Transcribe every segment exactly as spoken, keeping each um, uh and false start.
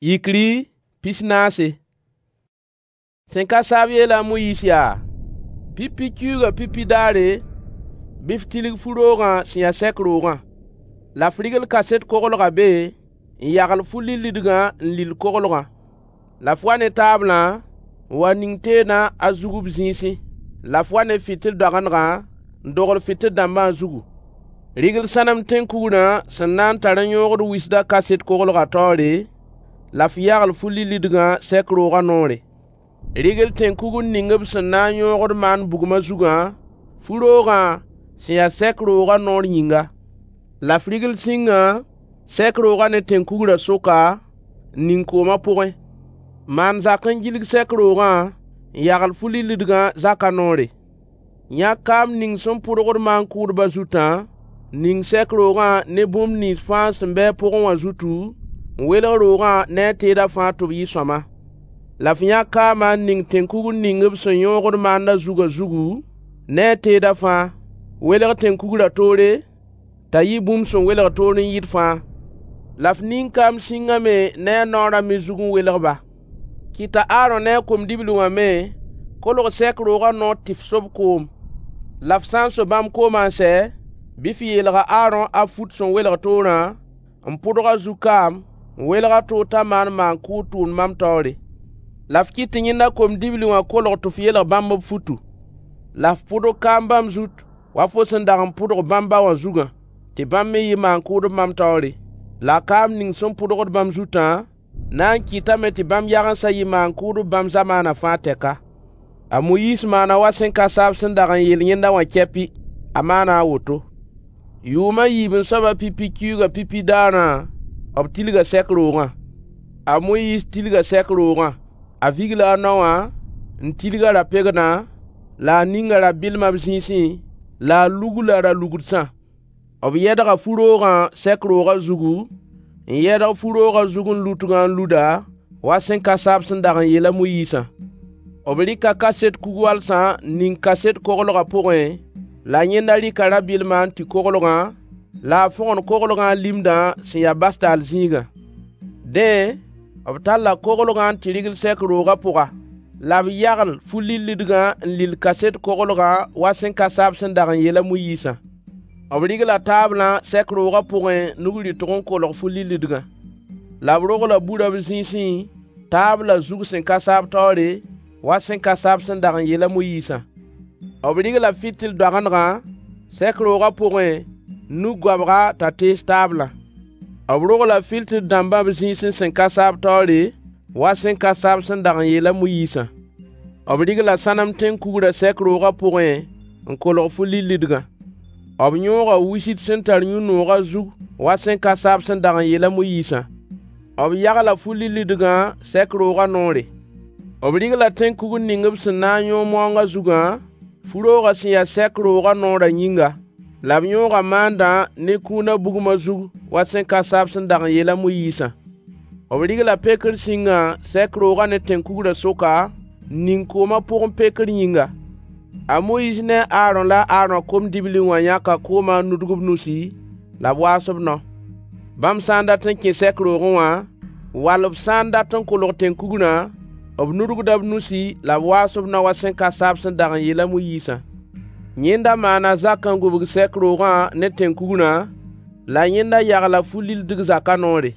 Yikri pis-naase. Sẽn ka saab yeela a Moyiis yaa: Pipi kiuugã pipi daare, bɩ f tilg fu-roogã sẽn ya sɛk roogã. La f rɩgl kaset koglgã be n yagl fu-lillidgã n lill koglgã. La f wa ne taablã n wa ning teedã a zug b zĩisẽ. La f wa ne fɩtɩl-doagendgã n dogl fɩtɩl-dãmbã zugu. Rɩgl sãnem tẽn-kugrã sẽn na n tar n yõogd wisdã kaset koglgã taoore, la f yagl fu-lillidgã sɛk roogã noore. Rɩgl tẽn-kugr ning b sẽn na n yõogd maan bugmã zugã, fu-roogã sẽn ya sɛk roogã noor yĩnga. La f rɩgl sĩngã sɛk roogã ne tẽn-kugrã sʋka, n ning koomã pʋgẽ. Maan zak n gilg sɛk roogã n yagl fu-lillidgã zakã noore. Yãk kaam ning sẽn pʋdgd maan-kʋʋdbã zutã, n ning sɛk roogã ne bũmb nins fãa sẽn be a pʋgẽ wã zutu, n welg roogã ne a teedã fãa tɩ b yɩ sõama. La f yãk kaamã n ning tẽn-kugr ning b sẽn yõogd maandã zugã zugu, ne a teedã fãa. Welg tẽn-kugrã toore, t'a yɩ bũmb sẽn welg toor n yɩɩd fãa. La f ning kaam sĩngã me ne a naoorã me zug n welg-ba. Kɩt t'a Aarõ ne a kom-dibli wã me kolg sɛk roogã noor tɩ f so-b koom. La f sã n so bãmb koomã n sɛ, bɩ f yeelg a Aarõ a fut sẽn welg toorã, n pʋdg a zug kaam, n welg a toor t'a maan maan-kʋʋd tʋʋmd mam taoore. La f kɩt tɩ yẽnda kom-dibli wã kolg tɩ f yeelg bãmb b futu. La f pʋdg kaam bãmb zut wa fo sẽn dag n pʋdg bãmb ba wã zugã, tɩ bãmb me yɩ maan-kʋʋdb mam taoore. La kaam ning sẽn pʋdgd bãmb zutã na n kɩtame tɩ bãmb yagensã yɩ maan-kʋʋdb bãmb zamaanã fãa tɛka. A Moyiis maana wa sẽn ka saab sẽn dag n yeel yẽnda wã kɛpɩ, a maana a woto. Yʋʋm a yiib-n-soabã pipi kiuugã pipi daarã, b tilga sɛk roogã. A Moyiis tilga sɛk roogã. A vigla a nao wã n tilg a ra-pegdã, la a ninga ra-bɩlmã b zĩisẽ, la a lugla ra-lugdsã. B yɛdga fu-roogã sɛk roogã zugu, n yɛdg fu-roogã zug n lutgã n luda, wa sẽn ka saab sẽn dag n yeel a Moyiisã. B rɩka kaset kug-walsã n ning kaset koglgã pʋgẽ, la yẽnda rɩka ra-bɩlmã n tũ koglgã, la a fõgen koglgã a limdã sẽn ya bastaal zĩigã. Dẽ, b talla koglgã n tɩ rɩgl sɛk roogã pʋga. La b yagl fu-lillidgã n lill kaset koglgã wa sẽn ka saab sẽn dag n yeel a Moyiisã. B rɩgla taablã sɛk roogã pʋgẽ nug-rɩtg n kolg fu-lillidgã. La b rogla burã b zĩisẽ, taablã zug sẽn ka saab taoore, wa sẽn ka saab sẽn dag n yeel a Moyiisã. B rɩgla fɩtɩl-doagendgã sɛk roogã pʋgẽ nug-goabga t'a tees taablã. B rogla fɩtɩl-dãmbã b zĩisẽ sẽn ka saab taoore, wa sẽn ka saab sẽn dag n yeel a Moyiisã. B rɩgla sãnem tẽn-kugrã sɛk roogã pʋgẽ n kolg fu-lillidgã. B yõoga wisid sẽn tar yũ-noogã zug wa sẽn ka saab sẽn dag n yeel a Moyiisã. B yagla fu-lillidgã sɛk roogã noore. B rɩgla tẽn-kugr ning b sẽn na n yõog maoongã zugã, fu-roogã sẽn ya sɛk roogã noorã yĩnga. La b yõoga maandã ne kũunã bugmã zug wa sẽn ka saab sẽn dag n yeel a Moyiisã. B rɩgla pekr sĩngã sɛk roogã ne tẽn-kugrã sʋka, n ning koomã pʋgẽ pekr yĩnga. A Moyiis ne a Aarõ la a Aarõ kom-dibli wã yãka koomã n nudg b nusi, la b waas b nao. Bãmb sã n dat n kẽ sɛk roogẽ wã, wall b sã n dat n kolg tẽn-kugrã, b nudgda b nusi la b waas b nao wa sẽn ka saab sẽn dag n yeel a Moyiisã. Yẽnda maana zak n gũbg sɛk roogã ne tẽn-kugrã, la yẽnda yagla fu-lillidg zakã noore.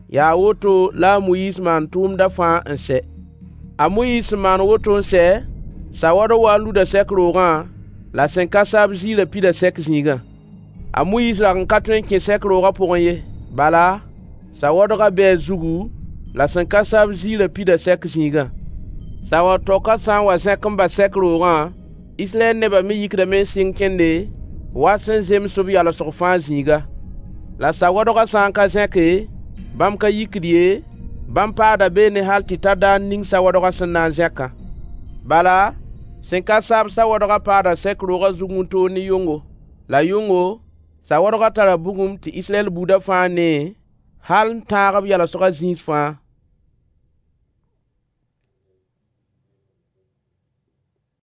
Yaa woto la a Moyiis maan tʋʋmdã fãa n sɛ. A Moyiis sẽn maan woto n sɛ, sawadg wa n luda sɛk roogã, la sẽn ka saab ziirã pida sɛk zĩigã. A Moyiis rag n ka tõe n kẽ sɛk roogã pʋgẽ ye, bala, sawadgã bee a zugu, la sẽn ka saab ziirã pida sɛk zĩigã. Sawad-taokã sã n wa zẽk n bas sɛk roogã, Israyɛl nebã me yikdame n sɩng kẽnde, wa sẽn zems b yalsg fãa zĩiga. La sawadgã sã n ka zẽke, bãmb ka yikd ye, bãmb paada beene hal tɩ ta daar ning sawadgã sẽn na n zẽkã. Bala, sẽn ka saab sawadgã paada sɛk roogã zug wĩntoog ne yʋngo. La yʋngo, sawadgã tara bugum tɩ Israyɛl buudã fãa nee, hal n tãag b yalsgã zĩis fãa.